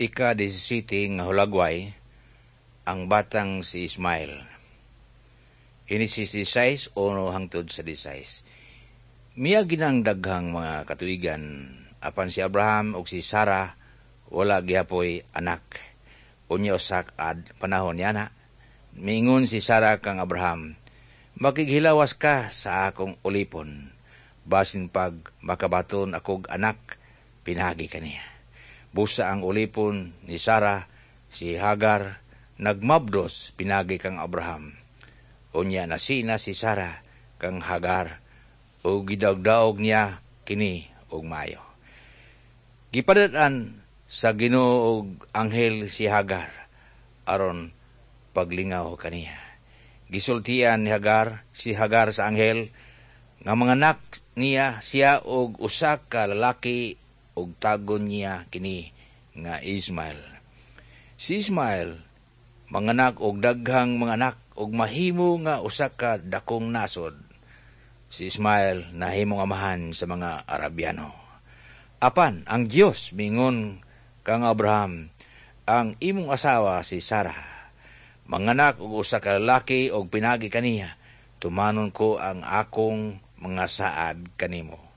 Ika-17 nga hulagway, ang batang si Ismael. Henesis 16, 1 hangtod sa 16. Miagi nang daghang mga katuigan, apan si Abraham ug si Sarah wala gihapoy anak. Unya usa ka panahon niana, miingon si Sarah kang Abraham, "Makighilawas ka sa akong ulipon. Basin pag makabaton akog anak, pinaagi kaniya." Busa ang ulipon ni Sarah, si Hagar, nagmabdos pinaagi kang Abraham. Unya nasina si Sarah kang Hagar ug gidawgdaog niya kini og maayo. Gipadad-an sa Ginoo og anghel si Hagar aron paglingaw kaniya. Gisultian ni Hagar si Hagar sa anghel nga manganak niya siya og usa ka lalaki ug tawgon niya kini nga Ismael. Si Ismael manganak og daghang mga anak ug mahimo nga usa ka dakong nasod. Si Ismael nahimong amahan sa mga Arabiano. Apan ang Dios mingon kang Abraham, "Ang imong asawa si Sarah manganak og usa ka lalaki og pinaagi kaniya tumanon ko ang akong mga saad kanimo."